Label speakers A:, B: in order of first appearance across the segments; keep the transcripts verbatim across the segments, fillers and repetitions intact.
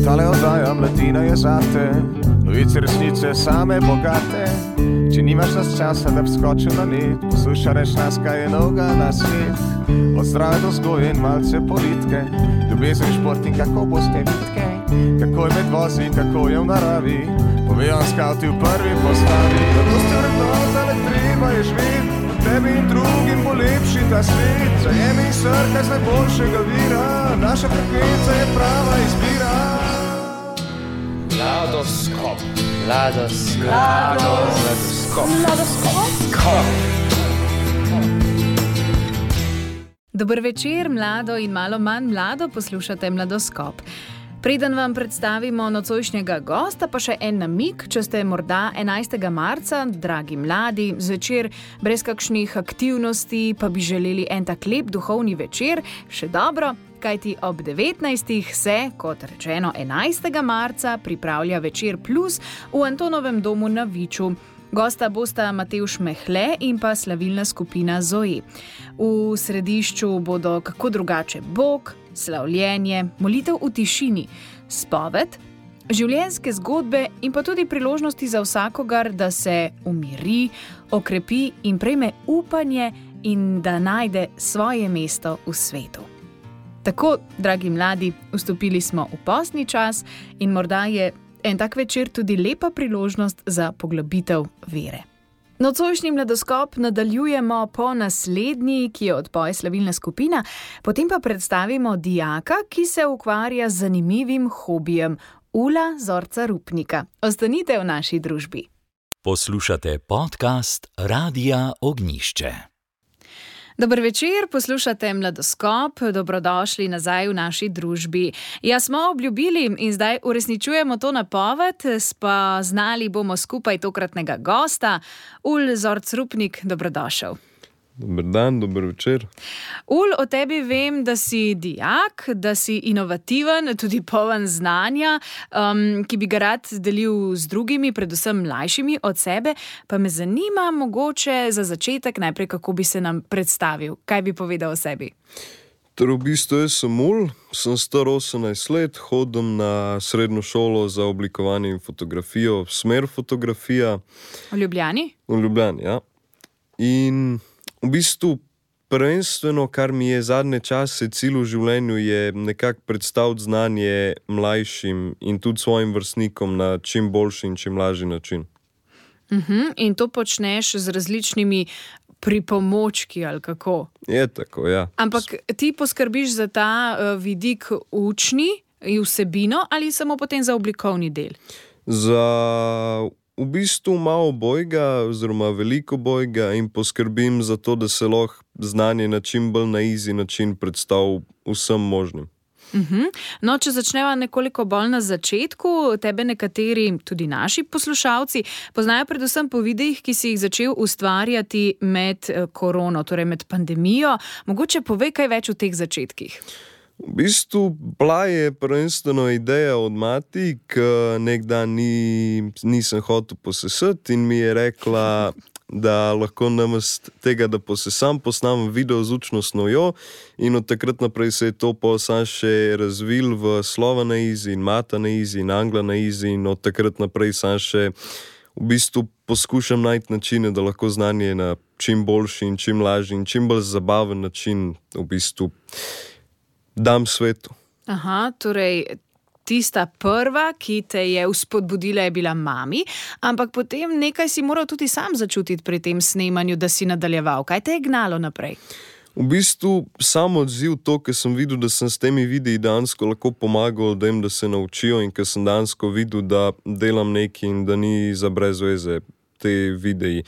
A: Tale oddaja mladina je zate, novice resnice same bogate. Če nimaš nas časa, da bi skočil na net, poslušaj reč nas, kaj je novega na svet. Od zdrave do vzgoje in malce politike, ljubezen, šport in kako boste vitke, kako je med vozi in kako je v naravi, povejo skavti v prvi postavi. Zato ste vrednota, le treba je živeti, tebi in drugim bo lepši ta svet. Zajemi srka z najboljšega vira, naša frekvenca je prava izbira.
B: Mladoskop, mladoskop, mladoskop, mladoskop.
C: Dober večer, mlado in malo manj mlado, poslušate Mladoskop. Preden vam predstavimo nocojšnjega gosta, pa še en namig, če ste morda enajstega marca, dragi mladi, zvečer brez kakšnih aktivnosti, pa bi želeli en tak lep duhovni večer, še dobro, kajti ob devetnajstih se, kot rečeno enajstega marca, pripravlja Večer plus v Antonovem domu na Viču. Gosta bosta Matevž Mehle in pa slavilna skupina Zoe. V središču bodo kako drugače Bog, slavljenje, molitev v tišini, spoved, življenjske zgodbe in pa tudi priložnosti za vsakogar, da se umiri, okrepi in prejme upanje in da najde svoje mesto v svetu. Tako, dragi mladi, vstopili smo v postni čas in morda je en tak večer tudi lepa priložnost za poglobitev vere. Nocojšnji Mladoskop nadaljujemo po naslednji, ki jo odpoje slavilna skupina, potem pa predstavimo dijaka, ki se ukvarja z zanimivim hobijem, Ula Zorca Rupnika. Ostanite v naši družbi.
D: Poslušate podcast Radia Ognjišče.
C: Dober večer, poslušate Mladoskop, dobrodošli nazaj v naši družbi. Ja, smo obljubili in zdaj uresničujemo to napoved, spoznali bomo skupaj tokratnega gosta. Ul Zorc Rupnik, dobrodošel.
E: Dober dan, dober večer.
C: Ul, o tebi vem, da si dijak, da si inovativen, tudi poln znanja, um, ki bi ga rad delil z drugimi, predvsem mlajšimi od sebe. Pa me zanima mogoče za začetek najprej, kako bi se nam predstavil. Kaj bi povedal o sebi?
E: Torej, v bistvu jaz sem Ul, sem star osemnajst let, hodim na srednjo šolo za oblikovanje in fotografijo, smer fotografija.
C: V Ljubljani?
E: V Ljubljani, ja. In v bistvu prvenstveno, kar mi je zadnje čase cilj v življenju, je nekako predstaviti znanje mlajšim in tudi svojim vrstnikom na čim boljši in čim lažji način.
C: Uh-huh. In to počneš z različnimi pripomočki, ali kako?
E: Je tako, ja.
C: Ampak ti poskrbiš za ta uh, vidik učni in vsebino ali samo potem za oblikovni del?
E: Za v bistvu malo bojga, oziroma veliko bojga in poskrbim za to, da se lahko znanje na čim bolj na easy način predstav vsem možnim.
C: Uh-huh. No, če začneva nekoliko bolj na začetku, tebe nekateri, tudi naši poslušalci, poznajo predvsem po videih, ki si jih začel ustvarjati med korono, torej med pandemijo. Mogoče povej kaj več o teh začetkih.
E: V bistvu bila je prvenstveno ideja od mati, ki nek dan ni, nisem hotel posesati in mi je rekla, da lahko namesto tega, da posesam, posnamem video z učno snovjo in od takrat naprej se je to pa sam še razvil v slova na izi in mata na izi in angla na izi in od takrat naprej sam še v bistvu poskušam najti načine, da lahko znanje na čim boljši in čim lažji in čim bolj zabaven način v bistvu dam svetu.
C: Aha, torej tista prva, ki te je vzpodbudila, je bila mami, ampak potem nekaj si moral tudi sam začutiti pri tem snemanju, da si nadaljeval. Kaj te je gnalo naprej?
E: V bistvu sam odziv to, ker sem videl, da sem s temi videi dansko lahko pomagal, da jim da se naučijo in ker sem dansko videl, da delam nekaj in da ni za brez veze te videi.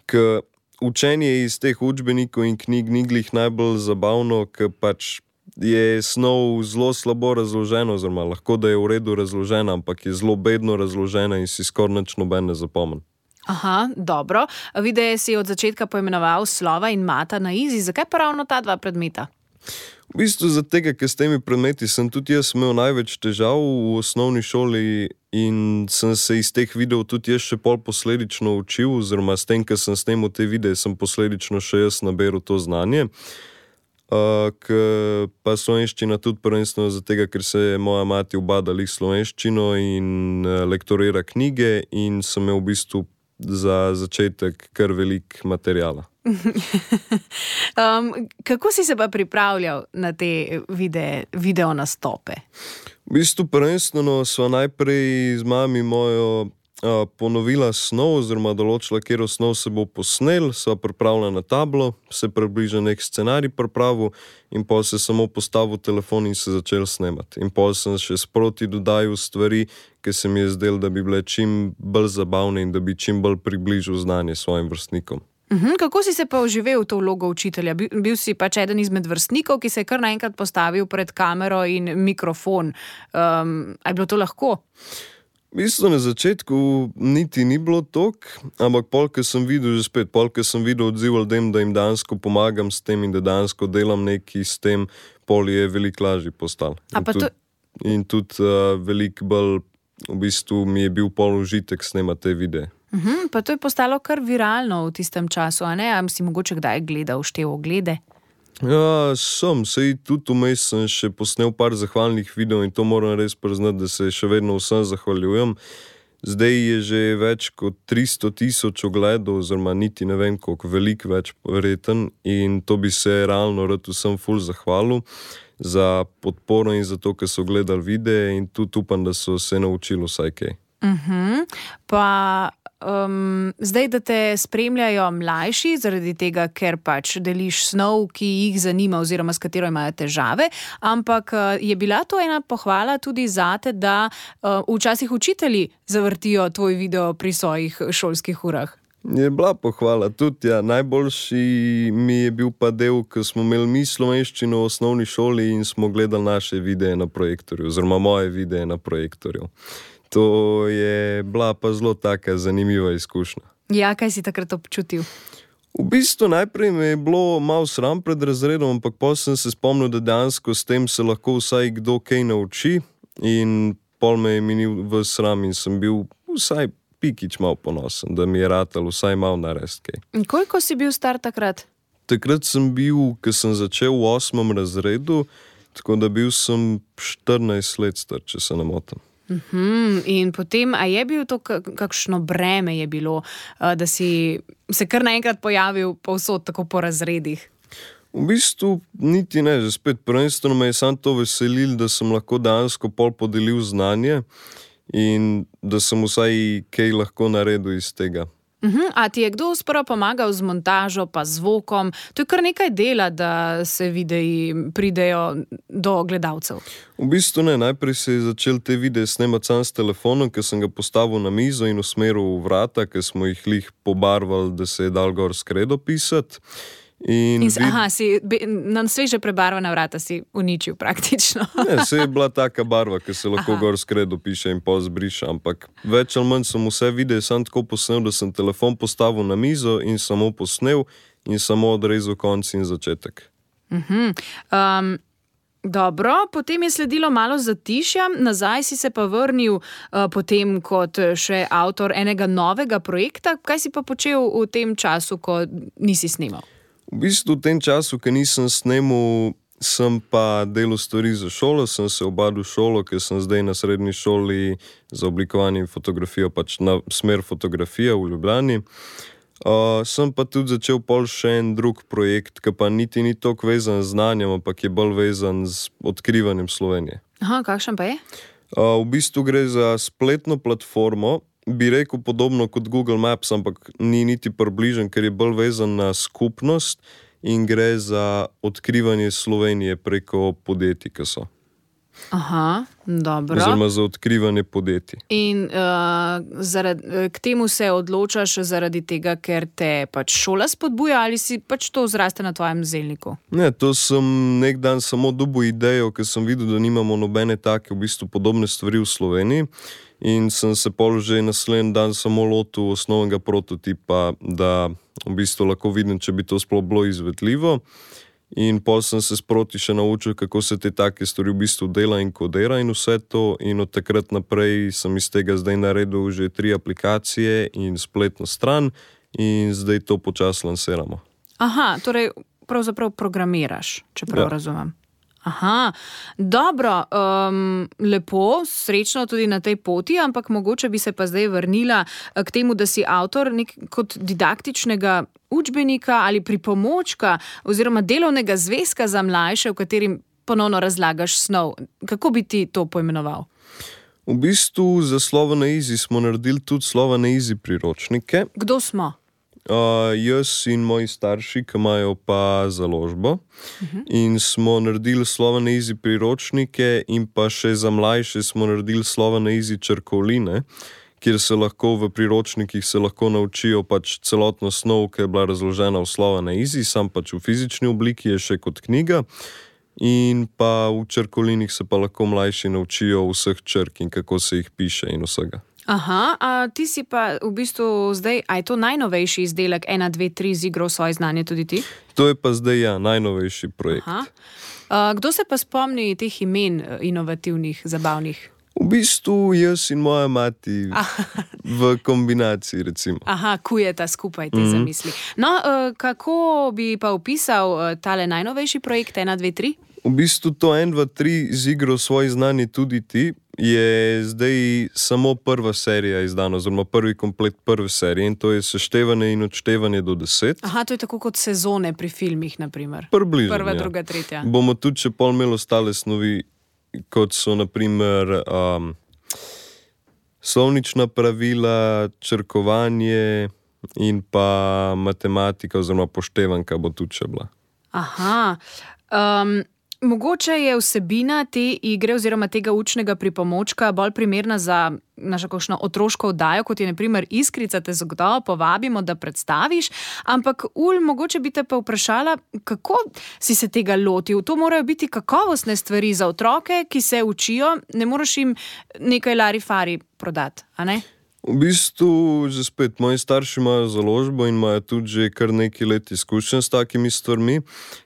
E: Ker učenje iz teh učbenikov in knjig ni glih najbolj zabavno, ker pač je snov zelo slabo razložena, oziroma lahko da je v redu razložena, ampak je zelo bedno razložena in si skoraj nič noben ne zapomnim.
C: Aha, dobro. Videe si od začetka poimenoval slova in mata na izi. Zakaj pa ravno ta dva predmeta?
E: V bistvu za tega, ker s temi predmeti sem tudi jaz imel največ težav v osnovni šoli in sem se iz teh videov tudi jaz še pol posledično učil, oziroma s tem, ker sem snemal te videe, sem posledično še jaz naberal to znanje. Uh, k, pa slovenščina tudi prvenstveno za tega, ker se je moja mati obadala slovenščino in uh, lektorira knjige in sem imel v bistvu za začetek kar velik materijala.
C: um, kako si se pa pripravljal na te vide, video nastope?
E: V bistvu prvenstveno sva najprej z mami mojo a, ponovila snov, oziroma določila, kjer snov se bo posnel, sva pripravila na tablo, se približa nek scenarij pripravil in pol se samo postavil telefon in se začel snemati. In pol sem še sproti dodajal stvari, ki se mi je zdel, da bi bile čim bolj zabavne in da bi čim bolj približil znanje svojim vrstnikom.
C: Uhum, kako si se pa vživel v to vlogo učitelja? Bil, bil si pač eden izmed vrstnikov, ki se je kar naenkrat postavil pred kamero in mikrofon. Um, a je bilo to lahko?
E: V bistvu na začetku niti ni bilo tok, ampak pol, ker sem videl že spet, pol, ker sem videl odziv ljudem, da jim dansko pomagam s tem in da dansko delam nekaj s tem, pol je veliko lažje postal.
C: A
E: In
C: pa
E: tudi,
C: to-
E: in tudi uh, veliko bolj, v bistvu mi je bil pol užitek snemati te videe.
C: Uhum, pa to je postalo kar viralno v tistem času, a ne? A si mogoče kdaj gledal, štel oglede?
E: Ja, sem, sej tudi vmes sem še posnel par zahvalnih videov in to moram res priznati, da se še vedno vsem zahvaljujem. Zdaj je že več kot tristo tisoč ogledov, oziroma niti ne vem koliko, veliko več verjeten in to bi se realno rad vsem ful zahvalil za podporo in za to, ker so gledali videe in tudi upam, da so se naučili vsaj kaj.
C: Uhum, pa um, zdaj, da te spremljajo mlajši, zaradi tega, ker pač deliš snov, ki jih zanima oziroma s katero imajo težave, ampak uh, je bila to ena pohvala tudi zate, da uh, včasih učitelji zavrtijo tvoj video pri svojih šolskih urah.
E: Je bila pohvala tudi, ja. Najboljši mi je bil pa del, ko smo imeli mi slovenščino v osnovni šoli in smo gledali naše videe na projektorju, oziroma moje videe na projektorju. To je bila pa zelo taka zanimiva izkušnja.
C: Ja, kaj si takrat občutil?
E: V bistvu najprej me je bilo malo sram pred razredom, ampak potem sem se spomnil, da dejansko s tem se lahko vsaj kdo kaj nauči in pol me je minil v sram in sem bil vsaj pikič malo ponosen, da mi je ratal vsaj malo narediti kaj.
C: In koliko si bil star takrat?
E: Takrat sem bil, ko sem začel v osmem razredu, tako da bil sem štirinajst let star, če se ne motim.
C: Uhum, in potem, a je bil to kak- kakšno breme je bilo, uh, da si se kar naenkrat pojavil povsod tako po razredih?
E: V bistvu niti ne, že spet prvenstveno me je samo to veselilo, da sem lahko dejansko pol podelil znanje in da sem vsaj kaj lahko naredil iz tega.
C: Uhum, a ti je kdo sprva pomagal z montažo pa zvokom? To je kar nekaj dela, da se videi pridejo do gledalcev.
E: V bistvu ne, najprej se je začel te videe snemati sam s telefonom, ker sem ga postavil na mizo in usmeril v vrata, ker smo jih lih pobarvali, da se je dal gor skredo pisati. In
C: In, s-
E: vid-
C: aha, si be- na sveže prebarvana vrata si uničil praktično.
E: Ne, se je bila taka barva, ki se lahko
C: Aha.
E: gor skredo piše in pol zbriše, ampak več ali manj sem vse videe sam tako posnel, da sem telefon postavil na mizo in samo posnel in samo odrezal konec in začetek.
C: Uhum, um, dobro, potem je sledilo malo zatišja, nazaj si se pa vrnil uh, potem kot še avtor enega novega projekta. Kaj si pa počel v tem času, ko nisi snemal?
E: V bistvu v tem času, ki nisem snemal, sem pa delal stvari za šolo, sem se obadil šolo, ker sem zdaj na srednji šoli za oblikovanje in fotografijo, pač na smer fotografija v Ljubljani. Uh, sem pa tudi začel pol še en drug projekt, ki pa niti ni toliko vezan z znanjem, ampak je bolj vezan z odkrivanjem Slovenije.
C: Aha, kakšen pa je?
E: Uh, v bistvu gre za spletno platformo, bi rekel podobno kot Google Maps, ampak ni niti približen, ker je bolj vezan na skupnost in gre za odkrivanje Slovenije preko podjetij, ki so.
C: Aha, dobro.
E: Oziroma za odkrivanje podjetij.
C: In uh, zaradi, k temu se odločaš zaradi tega, ker te pač šola spodbuja ali si pač to zraste na tvojem zelniku?
E: Ne, to sem nek dan samo dobil idejo, ker sem videl, da nimamo nobene take v bistvu podobne stvari v Sloveniji in sem se pol že naslednji dan samo lotil osnovnega prototipa, da v bistvu lahko vidim, če bi to sploh bilo izvedljivo. In pol sem se sproti še naučil, kako se te take stvari v bistvu dela in kodira in vse to. In od takrat naprej sem iz tega zdaj naredil že tri aplikacije in spletno stran in zdaj to počasi lansiramo.
C: Aha, torej pravzaprav programiraš, če prav
E: Ja.
C: razumem. Aha, dobro, um, lepo, srečno tudi na tej poti, ampak mogoče bi se pa zdaj vrnila eh, k temu, da si avtor nek kot didaktičnega učbenika ali pripomočka oziroma delovnega zvezka za mlajše, v katerim ponovno razlagaš snov. Kako bi ti to poimenoval?
E: V bistvu za Slovo na Izi smo naredili tudi Slovo na Izi priročnike.
C: Kdo smo?
E: Uh, jaz in moji starši, ki imajo pa založbo, uh-huh. in smo naredili Slovo na Izi priročnike in pa še za mlajše smo naredili Slovo na Izi črkovline, kjer se lahko v priročnikih se lahko naučijo pač celotno snov, ki je bila razložena v Slovo na Izi, sam pač v fizični obliki je še kot knjiga. In pa v črkovlinih se pa lahko mlajši naučijo vseh črk in kako se jih piše in vsega.
C: Aha, a ti si pa v bistvu zdaj, a je to najnovejši izdelek ena, dve, tri z igro svoje znanje tudi ti?
E: To je pa zdaj ja, najnovejši projekt.
C: Aha. A, kdo se pa spomni teh imen inovativnih, zabavnih?
E: V bistvu jaz in moja mati v kombinaciji, recimo.
C: Aha, kujeta skupaj te mm-hmm. zamisli. No, kako bi pa opisal tale najnovejši projekt ena, dve, tri?
E: V bistvu to ena, dva, tri z igro svoje znanje tudi ti je zdaj samo prva serija izdana, oziroma prvi komplet prve serije in to je seštevanje in odštevanje do deset.
C: Aha, to je tako kot sezone pri filmih, naprimer.
E: Približno,
C: Prva,
E: ja.
C: druga, tretja.
E: Bomo tudi še pol imeli ostale snovi, kot so naprimer um, slovnična pravila, črkovanje in pa matematika oziroma poštevanka bo tudi še bila.
C: Aha, um, mogoče je vsebina te igre oziroma tega učnega pripomočka bolj primerna za našo kakšno otroško oddajo, kot je na primer Iskrica, te zagotovo povabimo, da predstaviš, ampak Ul, mogoče bi te pa vprašala, kako si se tega lotil? To morajo biti kakovostne stvari za otroke, ki se učijo, ne moreš jim nekaj larifari prodati, a ne?
E: V bistvu, že spet, moji starši imajo založbo in imajo tudi že kar nekaj let izkušenj s takimi stvarmi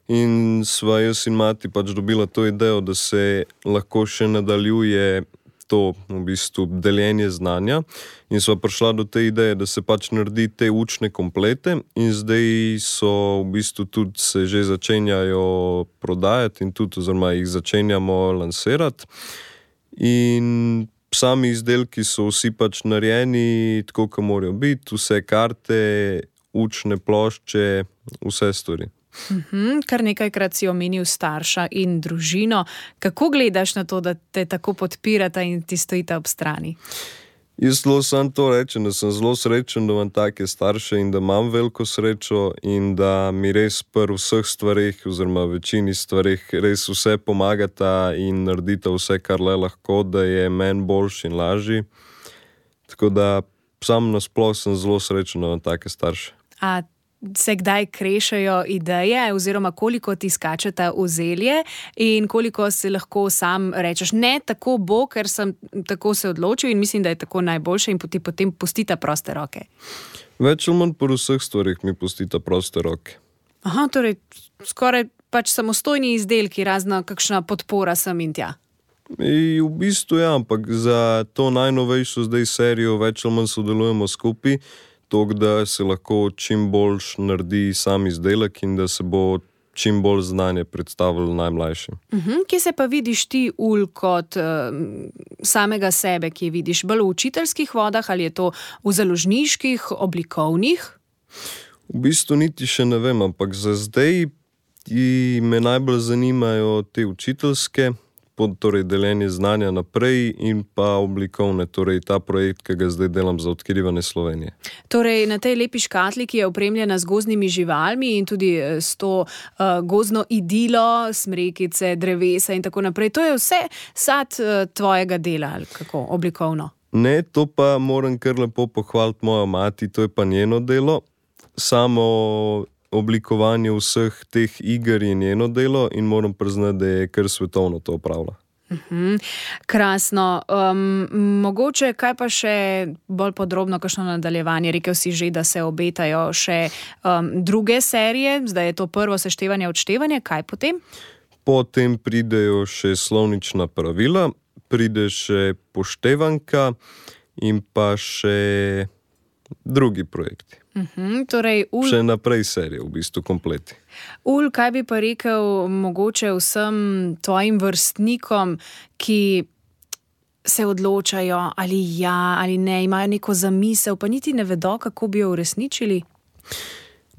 E: in sva jaz in mati pač dobila to idejo, da se lahko še nadaljuje to v bistvu deljenje znanja in sva prišla do te ideje, da se pač naredi te učne komplete in zdaj so v bistvu tudi se že začenjajo prodajati in tudi oziroma jih začenjamo lansirati in sami izdelki so vsi pač narejeni tako, kot morajo biti, vse karte, učne plošče, vse stvari.
C: Mhm, kar nekajkrat si omenil starša in družino. Kako gledaš na to, da te tako podpirata in ti stojita ob strani?
E: Jaz zelo sam to rečem, da sem zelo srečen, da imam take starše in da imam veliko srečo in da mi res pri vseh stvareh oziroma večini stvareh res vse pomagata in naredita vse, kar le lahko, da je meni boljši in lažji. Tako da sam nasploh sem zelo srečen, da imam take starše.
C: A se kdaj krešajo ideje oziroma koliko ti skačeta v zelje in koliko si lahko sam rečeš, ne, tako bo, ker sem tako se odločil in mislim, da je tako najboljše in ti potem pustita proste roke?
E: Več ali manj po vseh stvarih mi pustita proste roke.
C: Aha, torej skoraj pač samostojni izdelki, razna kakšna podpora sem in tja.
E: In v bistvu ja, ampak za to najnovejšo zdaj serijo več ali manj sodelujemo skupaj, tako da se lahko čim bolj naredi sam izdelek in da se bo čim bolj znanje predstavilo najmlajšim.
C: Uh-huh. Kje se pa vidiš ti, Ul, kot uh, samega sebe, ki vidiš bolj v učiteljskih vodah ali je to v založniških, oblikovnih?
E: V bistvu niti še ne vem, ampak za zdaj me najbolj zanimajo te učiteljske, torej deljenje znanja naprej in pa oblikovne, torej ta projekt, ki ga zdaj delam za odkrivanje Slovenije.
C: Torej na tej lepi škatli, ki je opremljena z gozdnimi živalmi in tudi s to uh, gozdno idilo, smrekice, drevesa in tako naprej, to je vse sad uh, tvojega dela, ali kako, oblikovno?
E: Ne, to pa moram kar lepo pohvaliti mojo mati, to je pa njeno delo. Samo oblikovanje vseh teh iger je njeno delo in moram priznati, da je kar svetovno to opravlja.
C: Uhum, krasno. Um, mogoče kaj pa še bolj podrobno, kakšno nadaljevanje? Rekel si že, da se obetajo še um, druge serije, zdaj je to prvo seštevanje, odštevanje, kaj potem?
E: Potem pridejo še slovnična pravila, pride še poštevanka in pa še drugi projekti.
C: Uhum, torej, ul...
E: Še naprej serije, v bistvu kompleti.
C: Ul, kaj bi pa rekel mogoče vsem tvojim vrstnikom, ki se odločajo ali ja ali ne, imajo neko zamisel, pa niti ne vedo, kako bi jo uresničili?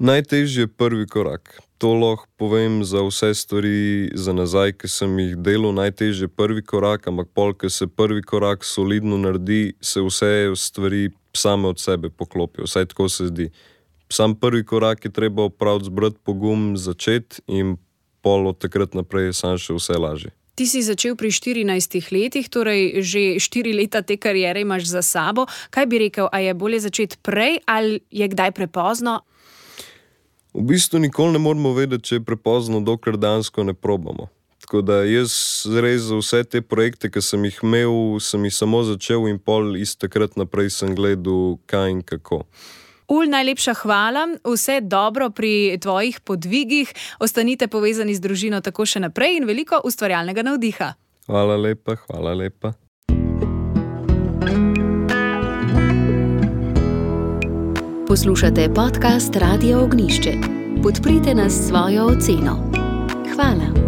E: Najtežji je prvi korak. To lahko povem za vse stvari za nazaj, ki sem jih delal. Najtežji je prvi korak, ampak pol, ko se prvi korak solidno naredi, se vse stvari same od sebe poklopijo, vsaj tako se zdi. Sam prvi korak je treba opraviti, zbrati pogum, začeti in pol od takrat naprej je sam še vse lažje.
C: Ti si začel pri štirinajstih letih, torej že štiri leta te kariere imaš za sabo. Kaj bi rekel, a je bolje začeti prej ali je kdaj prepozno?
E: V bistvu nikoli ne moramo vedeti, če je prepozno, dokler dansko ne probamo. Tako da jaz res za vse te projekte, ki sem jih imel, sem jih samo začel in pol iz takrat naprej sem gledal kaj in kako.
C: Ul, najlepša hvala, vse dobro pri tvojih podvigih, ostanite povezani z družino tako še naprej in veliko ustvarjalnega navdiha.
E: Hvala lepa, hvala lepa.
F: Poslušate podcast Radia Ognišče. Podprite nas s svojo oceno. Hvala.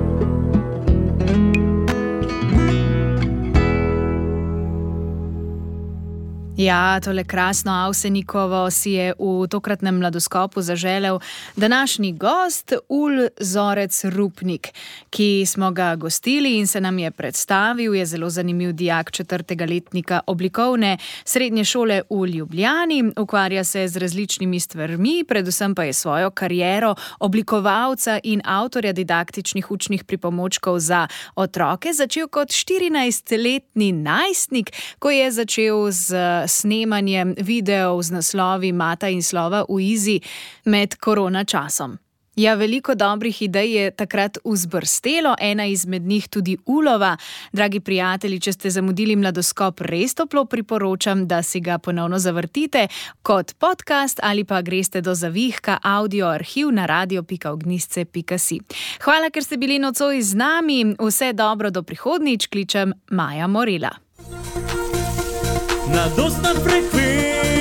C: Ja, tole krasno Avsenikovo si je v tokratnem mladoskopu zaželel današnji gost Ul Zorec Rupnik, ki smo ga gostili in se nam je predstavil. Je zelo zanimiv dijak četrtega letnika oblikovne srednje šole v Ljubljani. Ukvarja se z različnimi stvarmi, predvsem pa je svojo kariero oblikovalca in avtorja didaktičnih učnih pripomočkov za otroke začel kot štirinajstletni najstnik, ko je začel z snemanjem videov z naslovi Mata in slova v Izi med korona časom. Ja, veliko dobrih idej je takrat vzbrstelo, ena izmed njih tudi Ulova. Dragi prijatelji, če ste zamudili mladoskop, res toplo priporočam, da si ga ponovno zavrtite kot podcast ali pa greste do zavihka audio arhiv na radio pika ognisce pika si. Hvala, ker ste bili nocoj z nami. Vse dobro do prihodnjič, kličem Maja Morela.
G: Mladostna frekvenca.